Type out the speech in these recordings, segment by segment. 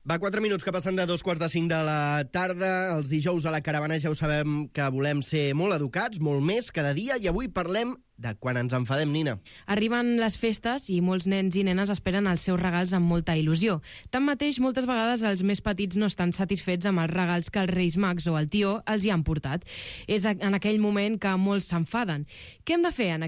Va, 4 minuts que passen de 2:45 de la tarda. Els dijous a la caravana ja ho sabem que volem ser molt educats, molt més cada dia, i avui parlem de quan ens enfadem, Nina. Arriben les festes i molts nens i nenes esperen els seus regals amb molta il·lusió. Tanmateix, moltes vegades els més petits no estan satisfets amb els regals que els Reis Mags o el tió els hi han portat. És en aquell moment que molts s'enfaden. Què hem de fer en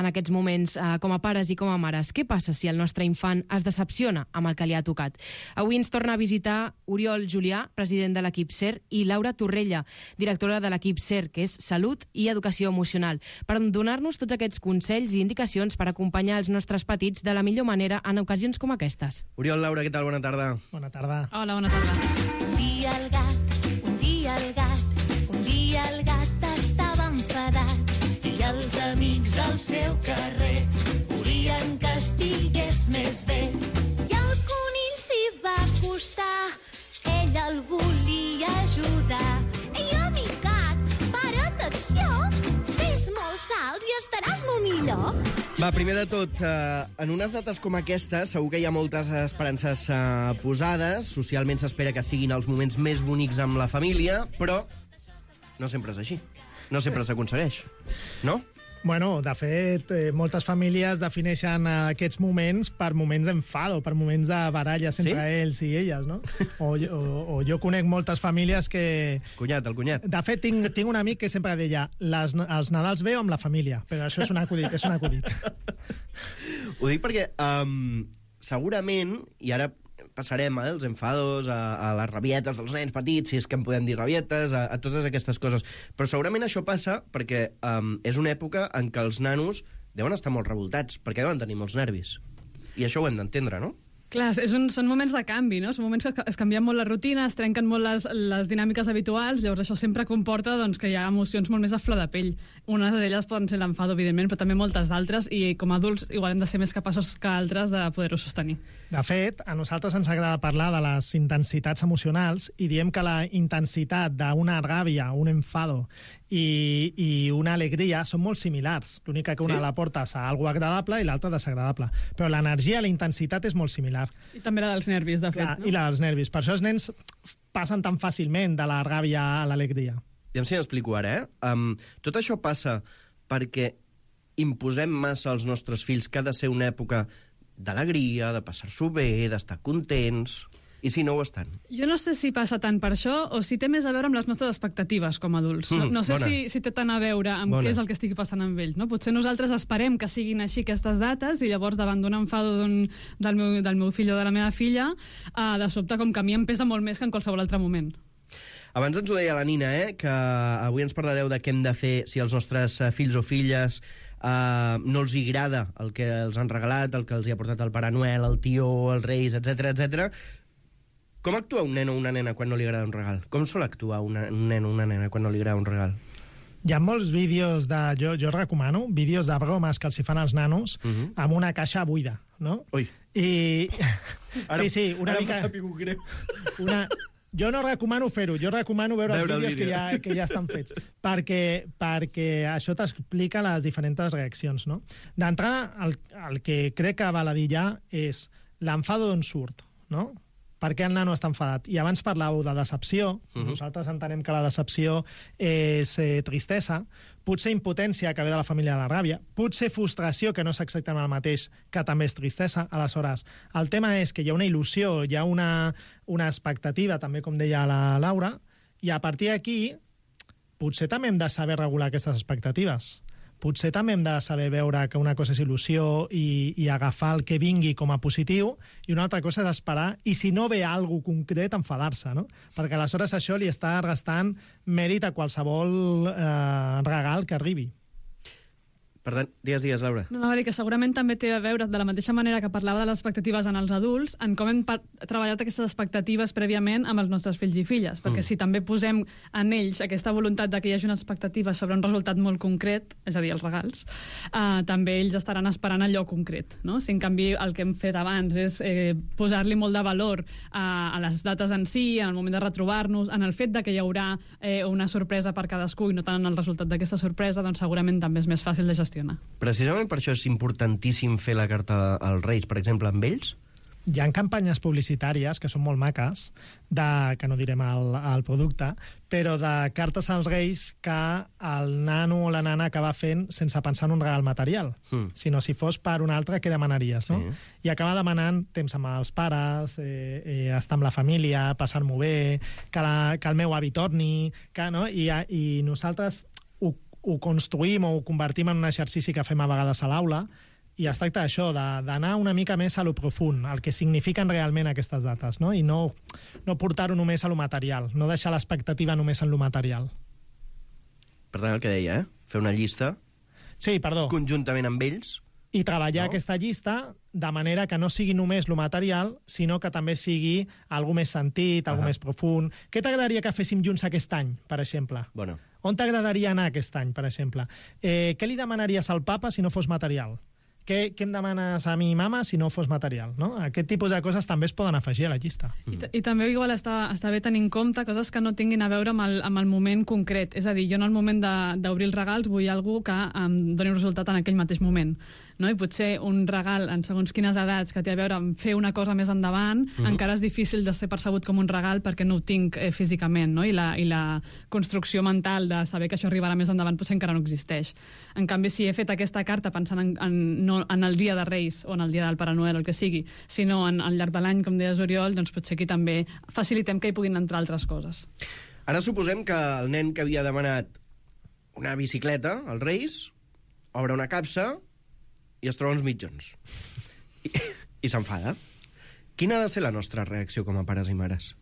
aquests moments com a pares i com a mares? Què passa si el nostre infant es decepciona amb el que li ha tocat? Avui ens torna a visitar Oriol Julià, president de l'equip SER, i Laura Torrella, directora de l'equip SER, que és Salut i Educació Emocional, per donar-nos tots aquests consells i indicacions per acompanyar els nostres petits de la millor manera en ocasions com aquestes. Oriol, Laura, què tal? Bona tarda. Bona tarda. Hola, bona tarda. Un dia el gat estava enfadat i els amics del seu carrer volien que estigués més bé. I el conill s'hi va acostar, ell el volia ajudar. Ei, amic gat, para't, acció, fes molts salts i estaràs molt millor. Va, primer de tot, en unes dates com aquestes segur que hi ha moltes esperances posades. Socialment s'espera que siguin els moments més bonics amb la família, però no sempre és així. No sempre s'aconsegueix, no? Bueno, de fet, moltes famílies defineixen aquests moments per moments d'enfado, per moments de baralles entre ells i elles, no? O jo conec moltes famílies que... El cunyat. De fet, tinc un amic que sempre deia els Nadals veu amb la família, però això és un acudit, Ho dic perquè segurament, i ara passarem els enfados, a les rabietes dels nens petits, si és que en podem dir rabietes, a totes aquestes coses. Però segurament això passa perquè és una època en què els nanos deuen estar molt revoltats, perquè deuen tenir molts nervis. I això ho hem d'entendre, no? Clar, són moments de canvi, no? Són moments que es canvien molt les rutines, es trenquen molt les dinàmiques habituals, llavors això sempre comporta que hi ha emocions molt més a flor de pell. Unes d'elles poden ser l'enfado, evidentment, però també moltes d'altres, i com a adults igual hem de ser més capaços que altres de poder-ho sostenir. De fet, a nosaltres ens agrada parlar de les intensitats emocionals i diem que la intensitat d'una ràbia, un enfado i una alegria són molt similars. L'única que una la portes a algo agradable i l'altra desagradable. Però l'energia, la intensitat és molt similar. I també la dels nervis, de fet. Clar, no? I la dels nervis. Per això els nens passen tan fàcilment de la ràbia a l'alegria. Ja si m'explico ara, tot això passa perquè imposem massa als nostres fills que ha de ser una època d'alegria, de passar-s'ho bé, d'estar contents... I si no ho estan? Jo no sé si passa tant per això o si té més a veure amb les nostres expectatives com a adults. No sé si té tant a veure amb què és el que estigui passant amb ells. No? Potser nosaltres esperem que siguin així aquestes dates i llavors davant d'un enfado del meu fill o de la meva filla, de sobte com que a mi em pesa molt més que en qualsevol altre moment. Abans ens ho deia la Nina, que avui ens parlareu de què hem de fer si els nostres fills o filles no els agrada el que els han regalat, el que els hi ha portat el Pare Noel, el tió, els Reis, etc etc. Com actua un nen o una nena quan no li agrada un regal? Com sol actuar un nen o una nena quan no li agrada un regal? Hi ha molts vídeos jo recomano, vídeos de bromes que els hi fan als nanos amb una caixa buida, no? Ui. I... Ara, sí, una mica... m'ha sapigut greu. Jo no recomano fer-ho, jo recomano veure els vídeos que ja estan fets, perquè això t'explica les diferents reaccions, no? D'entrada, el que crec que val a dir ja és l'enfado d'on surt, no? Per què el nano està enfadat? I abans parlàveu de decepció. Nosaltres entenem que la decepció és tristesa, potser impotència, que ve de la família de la ràbia, potser frustració, que no és exactament el mateix, que també és tristesa. Aleshores, el tema és que hi ha una il·lusió, hi ha una expectativa, també com deia la Laura, i a partir d'aquí potser també hem de saber regular aquestes expectatives. Potser també hem de saber veure que una cosa és il·lusió i agafar el que vingui com a positiu, i una altra cosa és esperar, i si no ve alguna cosa concret, enfadar-se, no? Perquè aleshores això li està restant mèrit a qualsevol regal que arribi. Per tant, digues, Laura. No, anava a dir que segurament també té a veure, de la mateixa manera que parlava de les expectatives en els adults, en com hem treballat aquestes expectatives prèviament amb els nostres fills i filles. Perquè si també posem en ells aquesta voluntat de que hi hagi una expectativa sobre un resultat molt concret, és a dir, els regals, també ells estaran esperant allò concret. No? Si en canvi el que hem fet abans és posar-li molt de valor a les dates en si, en el moment de retrobar-nos, en el fet de que hi haurà una sorpresa per cadascú i no tant en el resultat d'aquesta sorpresa, doncs segurament també és més fàcil de gestionar. Precisament per això és importantíssim fer la carta als Reis, per exemple, amb ells? hi ha campanyes publicitàries que són molt maques, que no direm el producte, però de cartes als Reis que el nano o la nana acaba fent sense pensar en un regal material, sinó si fos per un altre, què demanaries, no? I acaba demanant temps amb els pares, estar amb la família, passar-m'ho bé, que el meu avi torni, no? I nosaltres ho construïm o ho convertim en un exercici que fem a vegades a l'aula, i es tracta d'això, d'anar una mica més a lo profund, el que signifiquen realment aquestes dates, no? I no portar-ho només a lo material, no deixar l'expectativa només en lo material. Per tant, el que deia, fer una llista conjuntament amb ells. I treballar aquesta llista de manera que no sigui només lo material, sinó que també sigui algo més sentit, algo més profund. Què t'agradaria que féssim junts aquest any, per exemple? Bueno. On t'agradaria anar aquest any, per exemple? Què li demanaries al papa si no fos material? Què em demanes a mi, mama, si no fos material? No? Aquest tipus de coses també es poden afegir a la llista. I també igual està bé tenir en compte coses que no tinguin a veure amb el moment concret. És a dir, jo en el moment d'obrir els regals vull algú que em doni un resultat en aquell mateix moment. No? I potser un regal en segons quines edats que té a veure amb fer una cosa més endavant encara és difícil de ser percebut com un regal perquè no ho tinc físicament, no? I la construcció mental de saber que això arribarà més endavant potser encara no existeix. En canvi, si he fet aquesta carta pensant no en el dia de Reis o en el dia del Pare Noel o el que sigui, sinó al llarg de l'any, com deies Oriol, doncs potser aquí també facilitem que hi puguin entrar altres coses. Ara suposem que el nen que havia demanat una bicicleta als Reis obre una capsa i es troba uns mitjons. I s'enfada. Quina ha de ser la nostra reacció com a pares i mares?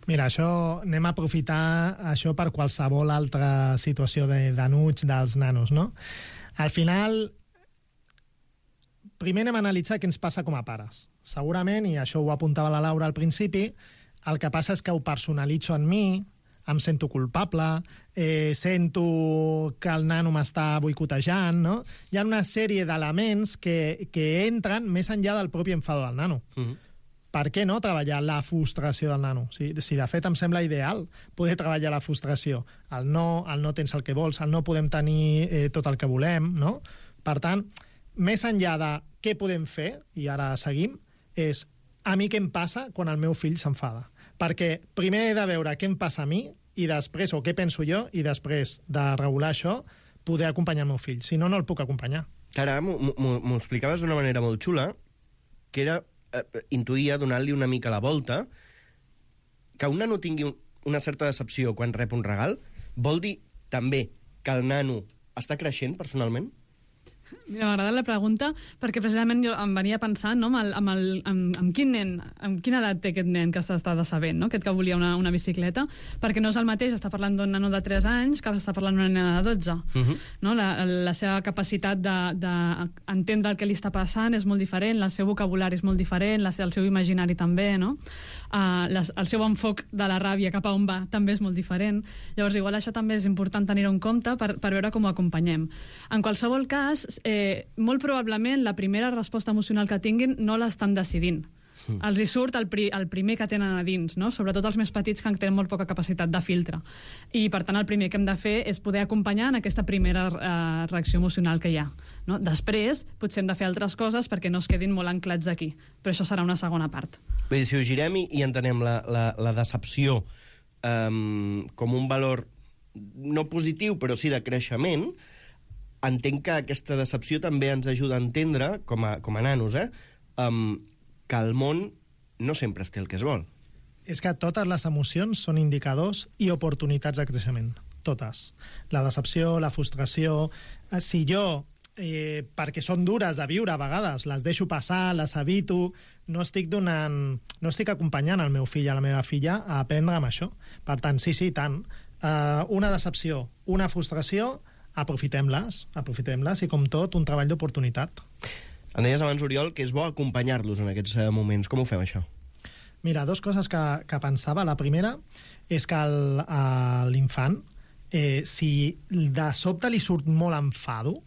Mira, anem a aprofitar això per qualsevol altra situació d'anuig dels nanos, no? Al final, primer anem a analitzar què ens passa com a pares. Segurament, i això ho apuntava la Laura al principi, el que passa és que ho personalitzo en mi, em sento culpable, sento que el nano m'està boicotejant, no? Hi ha una sèrie d'elements que entren més enllà del propi enfado del nano. Per què no treballar la frustració del nano? Si de fet em sembla ideal poder treballar la frustració. El no tens el que vols, el no podem tenir tot el que volem, no? Per tant, més enllà de què podem fer, i ara seguim, és a mi què em passa quan el meu fill s'enfada. Perquè primer he de veure què em passa a mi i després, o què penso jo, i després de regular això, poder acompanyar el meu fill. Si no, no el puc acompanyar. Ara m'ho explicaves d'una manera molt xula, que era, intuïa, donant-li una mica la volta, que un nano tingui una certa decepció quan rep un regal, vol dir també que el nano està creixent personalment? Mira, m'agrada la pregunta perquè precisament jo em venia pensant, no, amb quin nen, amb quina edat té aquest nen que s'està decebent, no? Aquest que volia una bicicleta, perquè no és el mateix estar parlant d'un nano de 3 anys que està parlant d'una nena de 12. No? La seva capacitat d'entendre el que li està passant és molt diferent, el seu vocabulari és molt diferent, el seu imaginari també, no? El seu enfoc de la ràbia cap a on va també és molt diferent. Llavors, igual això també és important tenir-ho en compte per veure com ho acompanyem. En qualsevol cas, molt probablement la primera resposta emocional que tinguin no l'estan decidint. Els hi surt el primer que tenen a dins, no? Sobretot els més petits que tenen molt poca capacitat de filtre. I, per tant, el primer que hem de fer és poder acompanyar en aquesta primera reacció emocional que hi ha. No? Després, potser hem de fer altres coses perquè no es quedin molt anclats aquí. Però això serà una segona part. Bé, si ho girem i entenem la decepció com un valor no positiu, però sí de creixement, entenc que aquesta decepció també ens ajuda a entendre, com a nanos, que el món no sempre es té el que es vol. És que totes les emocions són indicadors i oportunitats de creixement. Totes. La decepció, la frustració... Si jo, perquè són dures de viure a vegades, les deixo passar, les evito, no estic acompanyant el meu fill o la meva filla a aprendre amb això. Per tant, sí, tant. Una decepció, una frustració, aprofitem-les i, com tot, un treball d'oportunitat. Em deies abans, Oriol, que és bo acompanyar-los en aquests moments. Com ho fem, això? Mira, 2 coses que pensava. La primera és que l'infant, si de sobte li surt molt enfado,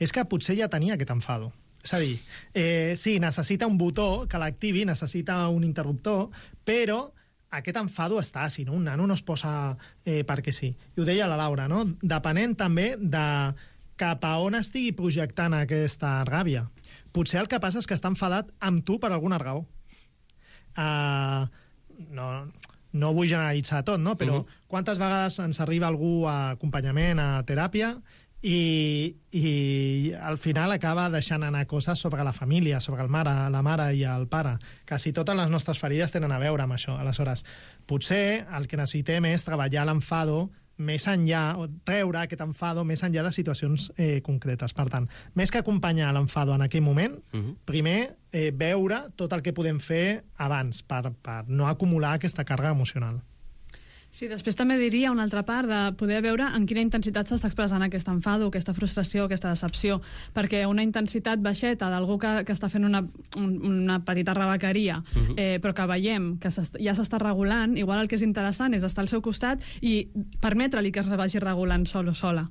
és que potser ja tenia aquest enfado. És a dir, sí, necessita un botó que l'activi, necessita un interruptor, però aquest enfado està, si no, un nano no es posa perquè sí. I ho deia la Laura, no? Depenent també de cap a on estigui projectant aquesta ràbia. Potser el que passa és que està enfadat amb tu per alguna raó. no vull generalitzar tot, no? Però quantes vegades ens arriba algú a acompanyament, a teràpia, i al final acaba deixant anar coses sobre la família, sobre la mare i el pare. Quasi totes les nostres ferides tenen a veure amb això. Aleshores, potser el que necessitem és treballar l'enfado més enllà, o treure aquest enfado més enllà de situacions concretes. Per tant, més que acompanyar l'enfado en aquell moment, primer veure tot el que podem fer abans per no acumular aquesta càrrega emocional. Sí, després també diria una altra part de poder veure en quina intensitat s'està expressant aquest enfado, aquesta frustració, aquesta decepció, perquè una intensitat baixeta d'algú que està fent una petita rebequeria, però que veiem que ja s'està regulant, igual el que és interessant és estar al seu costat i permetre-li que es vagi regulant sol o sola.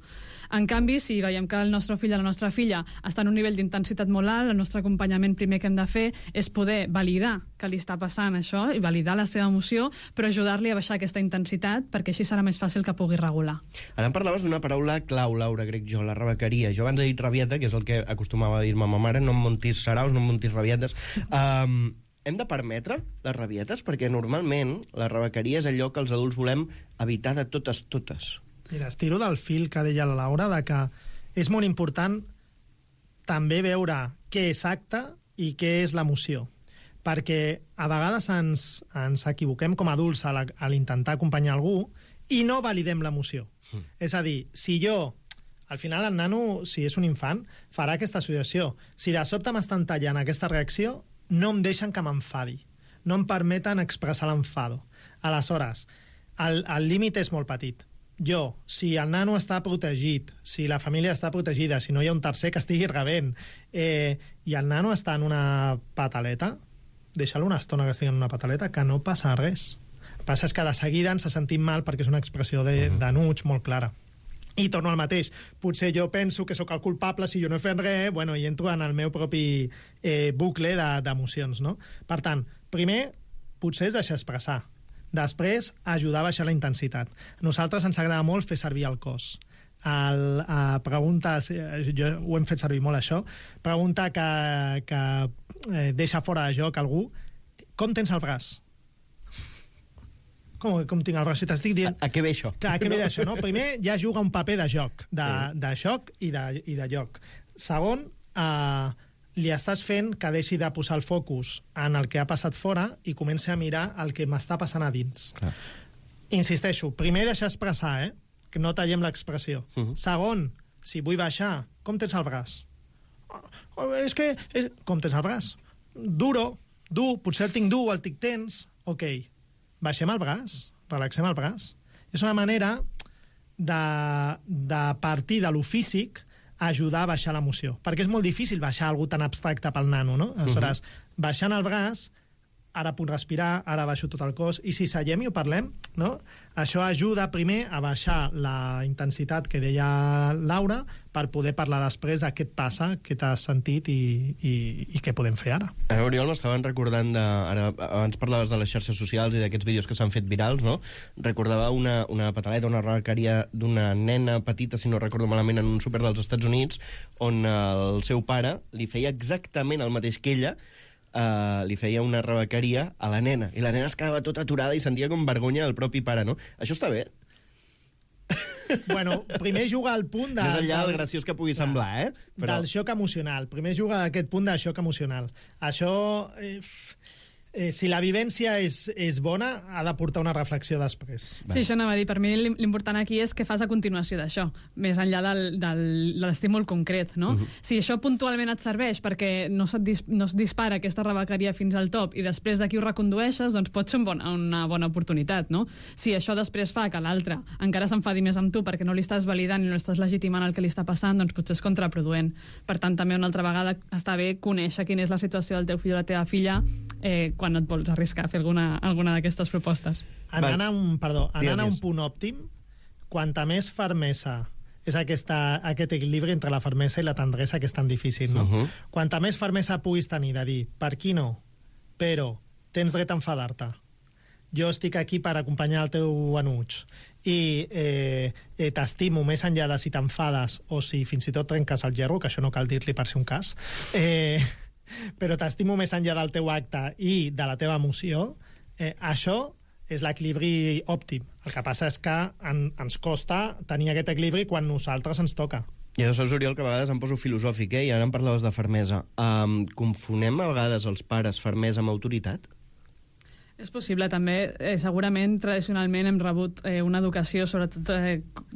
En canvi, si veiem que el nostre fill o la nostra filla està en un nivell d'intensitat molt alt, el nostre acompanyament primer que hem de fer és poder validar que li està passant això i validar la seva emoció, però ajudar-li a baixar aquesta intensitat perquè així serà més fàcil que pugui regular. Ara em parlaves d'una paraula clau, Laura, crec jo, la rebequeria. Jo abans he dit rabieta, que és el que acostumava a dir-me ma mare, no em muntis saraus, no em muntis rabietes. Hem de permetre les rabietes? Perquè normalment la rebequeria és allò que els adults volem evitar de totes. Mira, estiro del fil que deia la Laura, de que és molt important també veure què és acte i què és l'emoció. Perquè a vegades ens equivoquem com a adults a l'intentar acompanyar algú i no validem l'emoció. És a dir, si jo, al final el nano, si és un infant, farà aquesta associació. Si de sobte m'estan tallant aquesta reacció, no em deixen que m'enfadi. No em permeten expressar l'enfado. Aleshores, el límit és molt petit. Jo, si el nano està protegit, si la família està protegida, si no hi ha un tercer que estigui rebent, i el nano està en una pataleta, deixa-lo una estona que estigui en una pataleta, que no passa res. El que passa és que de seguida ens sentim mal perquè és una expressió d'enuig molt clara. I torno al mateix. Potser jo penso que sóc el culpable si jo no he fet res, i entro en el meu propi bucle d'emocions, no? Per tant, primer, potser és deixar expressar. Després, ajudar a baixar la intensitat. A nosaltres ens agrada molt fer servir el cos. Preguntes, jo ho hem fet servir molt, això, pregunta que deixa fora de joc algú, com tens el braç? Com tinc el braç? Si t'estic dient... A què ve això? Clar, a què ve això, no? Primer, ja juga un paper de joc, de joc i de joc. Segon, li estàs fent que deixi de posar el focus en el que ha passat fora i comenci a mirar el que m'està passant a dins. Clar. Insisteixo, primer deixar expressar, que no tallem l'expressió. Segon, si vull baixar, com tens el braç? Com tens el braç? Dur, potser el tinc dur, el tinc tens. Ok, baixem el braç, relaxem el braç. És una manera de partir de lo físic ajudar a baixar l'emoció. Perquè és molt difícil baixar algú tan abstracte pel nano, no? Aleshores, baixant el braç, ara puc respirar, ara baixo tot el cos, i si seiem i ho parlem, no? Això ajuda primer a baixar la intensitat que deia Laura per poder parlar després de què et passa, què t'has sentit i què podem fer ara. Ara, Oriol, m'estaven recordant abans parlaves de les xarxes socials i d'aquests vídeos que s'han fet virals, no? Recordava una pataleta, una rebequeria d'una nena petita, si no recordo malament, en un súper dels Estats Units, on el seu pare li feia exactament el mateix que ella, li feia una rebequeria a la nena, i la nena es quedava tota aturada i sentia com vergonya del propi pare, no? Això està bé? Bueno, primer juga al punt de... Més enllà del graciós que pugui semblar, Però... Del xoc emocional. Primer juga a aquest punt de xoc emocional. Això... si la vivència és bona, ha de portar una reflexió després. Sí, això anava a dir. Per mi l'important aquí és què fas a continuació d'això, més enllà de l'estímul concret, no? Si això puntualment et serveix perquè no es dispara aquesta rebequeria fins al top i després d'aquí ho recondueixes, doncs pot ser una bona oportunitat, no? Si això després fa que l'altre encara s'enfadi més amb tu perquè no li estàs validant i no estàs legitimant el que li està passant, doncs potser és contraproduent. Per tant, també una altra vegada està bé conèixer quina és la situació del teu fill o la teva filla quan et vols arriscar a fer alguna d'aquestes propostes. Anant a un punt òptim, quanta més fermesa és aquest equilibri entre la fermesa i la tendresa que és tan difícil, no? Quanta més fermesa puguis tenir de dir, per aquí no, però tens dret a enfadar-te. Jo estic aquí per acompanyar el teu enuig i t'estimo més enllà de si t'enfades o si fins i tot trenques el gerro, que això no cal dir-li per ser un cas, però t'estimo més enllà del teu acte i de la teva emoció, això és l'equilibri òptim. El que passa és que ens costa tenir aquest equilibri quan nosaltres ens toca. I ja saps, Oriol, que a vegades em poso filosòfic, i ara em parlaves de fermesa. Confonem a vegades els pares fermesa amb autoritat? És possible, també. Segurament, tradicionalment, hem rebut una educació, sobretot,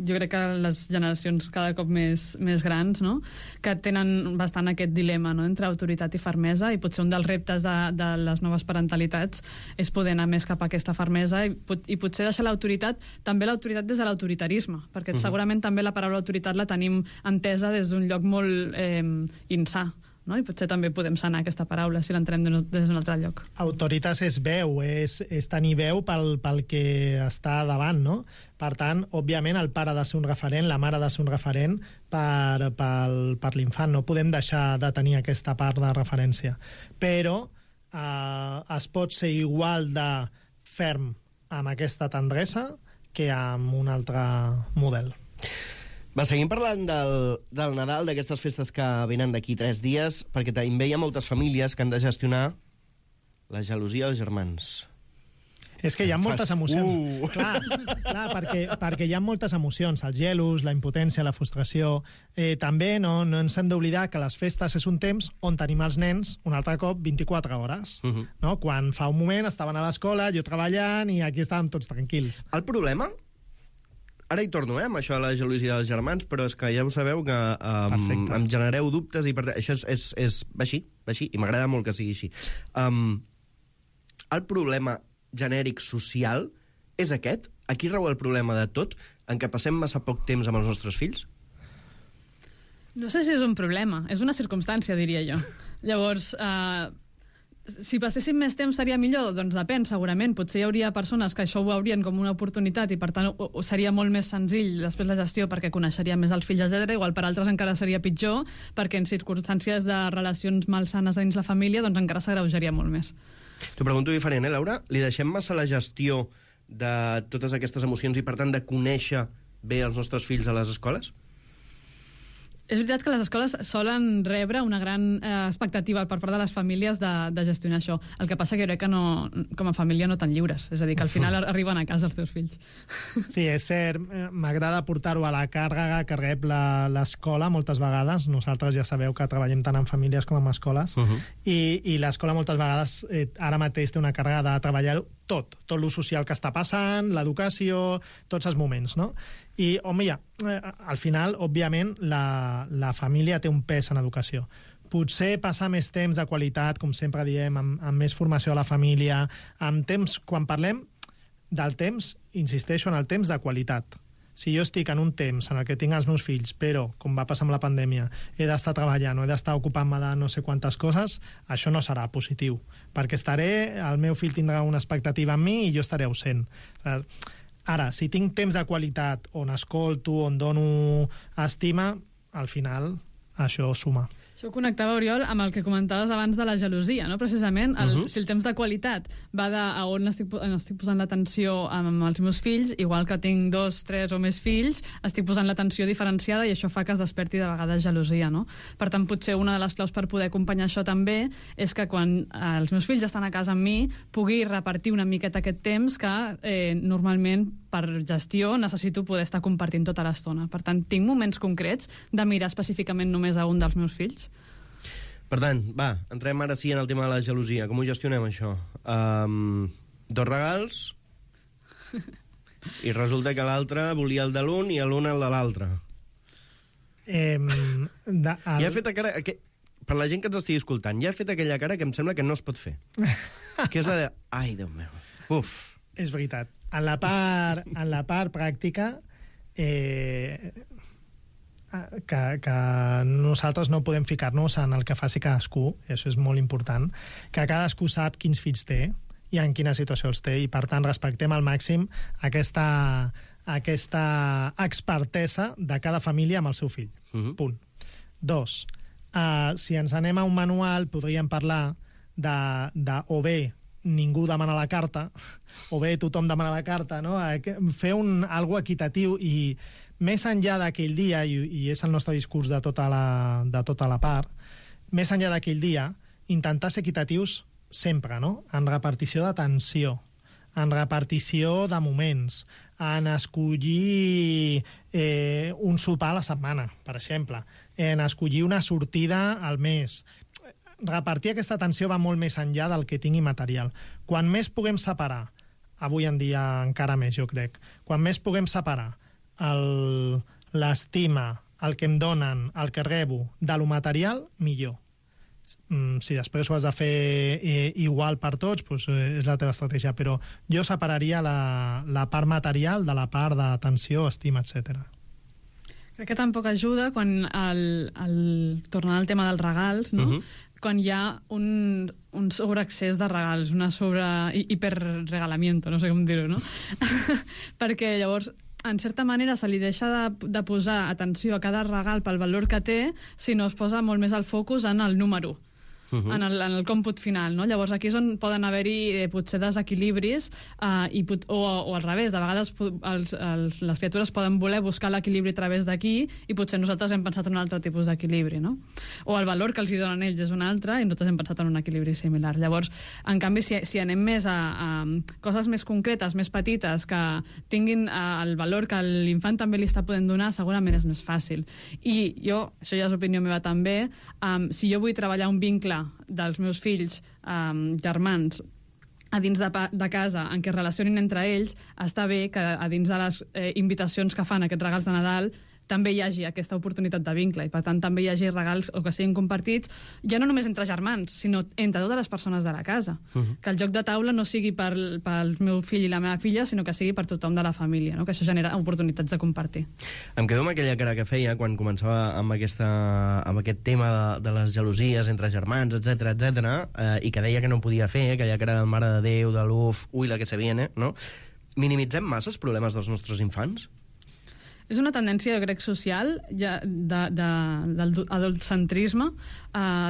jo crec que les generacions cada cop més grans, no?, que tenen bastant aquest dilema, no?, entre autoritat i fermesa, i potser un dels reptes de les noves parentalitats és poder anar més cap a aquesta fermesa i potser deixar l'autoritat, també l'autoritat des de l'autoritarisme, perquè segurament també la paraula autoritat la tenim entesa des d'un lloc molt insà, no? I potser també podem sanar aquesta paraula si l'entrem des d'un altre lloc. Autoritas és veu, és tenir veu pel que està davant, no? Per tant, òbviament, el pare ha de ser un referent, la mare ha de ser un referent per l'infant. No podem deixar de tenir aquesta part de referència. Però es pot ser igual de ferm amb aquesta tendresa que amb un altre model. Va, seguim parlant del Nadal, d'aquestes festes que venen d'aquí 3 dies, perquè també hi ha moltes famílies que han de gestionar la gelosia dels germans. És que hi ha moltes emocions. Clar, perquè hi ha moltes emocions. Els gelos, la impotència, la frustració. També no ens hem d'oblidar que les festes és un temps on tenim els nens un altre cop 24 hores. No? Quan fa un moment estaven a l'escola, jo treballant, i aquí estàvem tots tranquils. El problema... Ara hi torno, amb això de la gelosia dels germans, però és que ja ho sabeu que em generareu dubtes, i per tant, això va així, i m'agrada molt que sigui així. El problema genèric social és aquest? Aquí rau el problema de tot, en què passem massa poc temps amb els nostres fills? No sé si és un problema, és una circumstància, diria jo. Llavors, si passéssim més temps seria millor? Doncs depèn, segurament. Potser hi hauria persones que això ho veurien com una oportunitat i, per tant, seria molt més senzill després la gestió perquè coneixeria més els fills, etc. Igual per altres encara seria pitjor perquè en circumstàncies de relacions malsanes dins la família doncs encara s'agreujaria molt més. T'ho pregunto diferent, Laura? Li deixem massa la gestió de totes aquestes emocions i, per tant, de conèixer bé els nostres fills a les escoles? És veritat que les escoles solen rebre una gran expectativa per part de les famílies de gestionar això. El que passa que crec que no, com a família no tan lliures. És a dir, que al final arriben a casa els teus fills. Sí, és cert. M'agrada portar-ho a la càrrega que rep l'escola moltes vegades. Nosaltres ja sabeu que treballem tant en famílies com en escoles. I l'escola moltes vegades ara mateix té una càrrega de treballar tot lo social que està passant, l'educació, tots els moments, no? I, home, al final, òbviament, la família té un pes en educació. Potser passar més temps de qualitat, com sempre diem, amb més formació a la família, amb temps, quan parlem del temps, insisteixo en el temps de qualitat. Si jo estic en un temps en el que tinc els meus fills, però, com va passar amb la pandèmia, he d'estar treballant o he d'estar ocupant-me de no sé quantes coses, això no serà positiu, perquè el meu fill tindrà una expectativa en mi i jo estaré ausent. Ara, si tinc temps de qualitat, on escolto, on dono estima, al final això suma. Això connectava, Oriol, amb el que comentaves abans de la gelosia, no? Precisament, si el temps de qualitat va a on estic posant l'atenció amb els meus fills, igual que tinc 2, 3 o més fills, estic posant l'atenció diferenciada i això fa que es desperti de vegades gelosia, no? Per tant, potser una de les claus per poder acompanyar això també és que quan els meus fills estan a casa amb mi pugui repartir una miqueta aquest temps que normalment per gestió necessito poder estar compartint tota l'estona. Per tant, tinc moments concrets de mirar específicament només a un dels meus fills. Per tant, va, entrem ara sí en el tema de la gelosia. Com ho gestionem, això? 2 regals i resulta que l'altre volia el de l'un i l'un el de l'altre. Ja he fet cara... Per la gent que ens estigui escoltant, ja he fet aquella cara que em sembla que no es pot fer. Que és la de... Ai, Déu meu. Uf. És veritat. En la part pràctica, que nosaltres no podem ficar-nos en el que faci cadascú, això és molt important, que cadascú sap quins fills té i en quina situació els té, i per tant respectem al màxim aquesta expertesa de cada família amb el seu fill. Punt. 2. Si ens anem a un manual, podríem parlar de o bé ningú demana la carta, o bé tothom demana la carta, no? Fer algo equitatiu i més enllà d'aquell dia, i és el nostre discurs de tota la part, més enllà d'aquell dia, intentar ser equitatius sempre, no? En repartició d'atenció, en repartició de moments, en escollir un sopar a la setmana, per exemple, en escollir una sortida al mes. Repartir aquesta atenció va molt més enllà del que tingui material. Quan més puguem separar, avui en dia encara més, jo crec, quan més puguem separar l'estima, el que em donen, el que rebo, de lo material, millor. Si després ho has de fer igual per tots, doncs és la teva estratègia, però jo separaria la part material de la part d'atenció, estima, etc. Crec que tampoc ajuda quan, tornant al tema dels regals, no? Quan hi ha un sobreaccés de regals, una hiperregalamiento, no sé com dir-ho, no? Perquè llavors, en certa manera, se li deixa de posar atenció a cada regal pel valor que té, si no es posa molt més el focus en el número, en el còmput final, no? Llavors aquí és on poden haver-hi potser desequilibris o al revés, de vegades les criatures poden voler buscar l'equilibri a través d'aquí i potser nosaltres hem pensat en un altre tipus d'equilibri, no? O el valor que els hi donen ells és un altre i nosaltres hem pensat en un equilibri similar. Llavors, en canvi, si anem més a coses més concretes, més petites, que tinguin el valor que l'infant també li està podent donar, segurament és més fàcil. I jo, això ja és opinió meva també, si jo vull treballar un vincle dels meus fills germans a dins de casa en què es relacionin entre ells, està bé que a dins de les invitacions que fan aquests regals de Nadal també hi hagi aquesta oportunitat de vincle i per tant també hi hagi regals o que siguin compartits ja no només entre germans, sinó entre totes les persones de la casa. Que el joc de taula no sigui pel meu fill i la meva filla, sinó que sigui per tothom de la família, no? Que això genera oportunitats de compartir. Em quedo amb aquella cara que feia quan començava amb aquest tema de les gelosies entre germans, etc i que deia que no podia fer, aquella cara de mare de Déu, de l'uf, ui, la que se viene, no? Minimitzem massa els problemes dels nostres infants? És una tendència, jo crec, social del adultcentrisme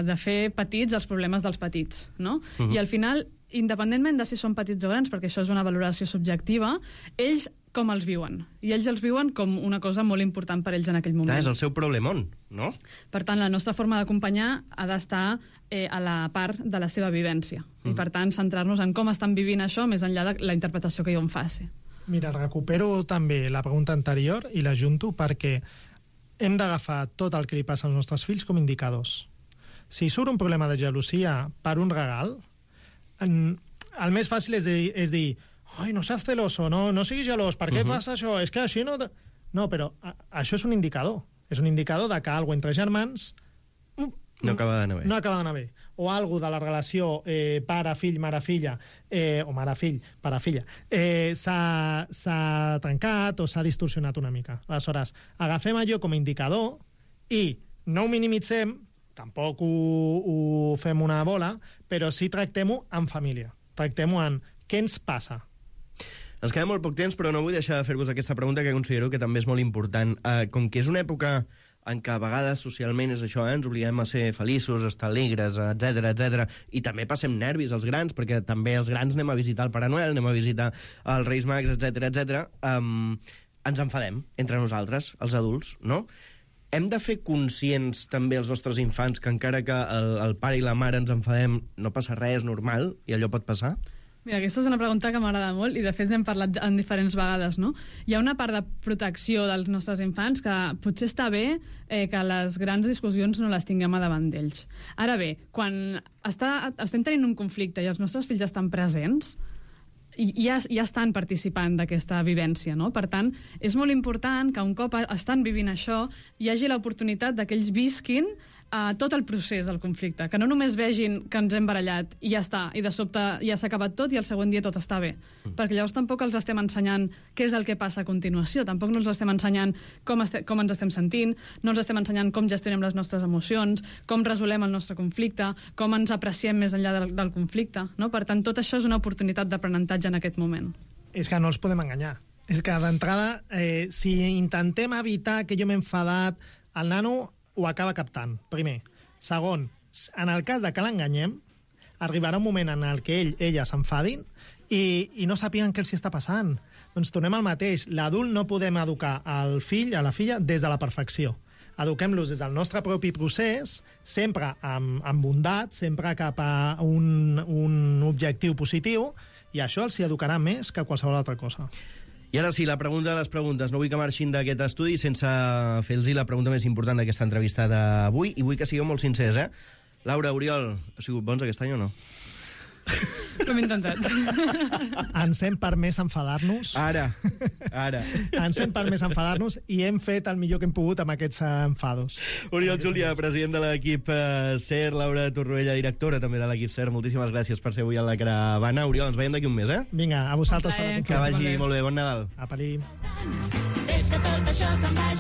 de fer petits els problemes dels petits, no? I al final, independentment de si són petits o grans, perquè això és una valoració subjectiva, ells com els viuen. I ells els viuen com una cosa molt important per ells en aquell moment. És el seu problemón, no? Per tant, la nostra forma d'acompanyar ha d'estar a la part de la seva vivència. I per tant, centrar-nos en com estan vivint això més enllà de la interpretació que jo en faci. Mira, recupero també la pregunta anterior i l'ajunto perquè hem d'agafar tot el que li passa als nostres fills com indicadors. Si surt un problema de gelosia per un regal, el més fàcil és dir ai, no seas celoso, no siguis gelós, per què passa això? És que així no... No, però això és un indicador. És un indicador de que alguna entre germans no acaba d'anar bé. No acaba d'anar bé. O alguna de la relació pare-fill, mare-filla, o mare-fill, pare-filla, s'ha trencat o s'ha distorsionat una mica. Aleshores, agafem allò com a indicador i no ho minimitzem, tampoc ho fem una bola, però sí tractem-ho en família. Tractem-ho en què ens passa. Ens queda molt poc temps, però no vull deixar de fer-vos aquesta pregunta que considero que també és molt important. Com que és una època en què a vegades socialment és això, ens obliguem a ser feliços, a estar alegres, etc, i també passem nervis als grans, perquè també els grans anem a visitar el Pare Noel, anem a visitar els Reis Mags, etc. Ens enfadem entre nosaltres, els adults, no? Hem de fer conscients també els nostres infants que encara que el pare i la mare ens enfadem, no passa res, és normal, i allò pot passar? Mira, aquesta és una pregunta que m'agrada molt i de fet n'hem parlat en diferents vegades, no? Hi ha una part de protecció dels nostres infants que potser està bé que les grans discussions no les tinguem a davant d'ells. Ara bé, quan estem tenint un conflicte i els nostres fills estan presents, ja estan participant d'aquesta vivència, no? Per tant, és molt important que un cop estan vivint això hi hagi l'oportunitat que ells visquin tot el procés del conflicte, que no només vegin que ens hem barallat i ja està, i de sobte ja s'ha acabat tot i el següent dia tot està bé, perquè llavors tampoc els estem ensenyant què és el que passa a continuació, tampoc no els estem ensenyant com ens estem sentint, no els estem ensenyant com gestionem les nostres emocions, com resolem el nostre conflicte, com ens apreciem més enllà del conflicte, no? Per tant, tot això és una oportunitat d'aprenentatge en aquest moment. És que no els podem enganyar. És que d'entrada, si intentem evitar que jo m'he enfadat, el nano ho acaba captant, primer. Segon, en el cas de que l'enganyem, arribarà un moment en el que ella s'enfadin i no sàpiguen què els està passant. Doncs tornem al mateix. L'adult no podem educar el fill, a la filla, des de la perfecció. eduquem-los des del nostre propi procés, sempre amb bondat, sempre cap a un objectiu positiu, i això els hi educarà més que qualsevol altra cosa. I ara sí, la pregunta de les preguntes. No vull que marxin d'aquest estudi sense fer-los la pregunta més important d'aquesta entrevista d'avui, i vull que sigueu molt sincers, eh? Laura, Oriol, heu sigut bons aquest any o no? Ho hem intentat. Ens hem permès enfadar-nos. Ara. Ens hem permès enfadar-nos i hem fet el millor que hem pogut amb aquests enfados. Oriol Júlia, president de l'equip SER, Laura Torroella, directora també de l'equip SER, moltíssimes gràcies per ser avui a la caravana. Oriol, ens veiem d'aquí un mes, eh? Vinga, a vosaltres per la Que vagi molt bé. Bon Nadal. Apa-li. Fes que tot això se'n vagi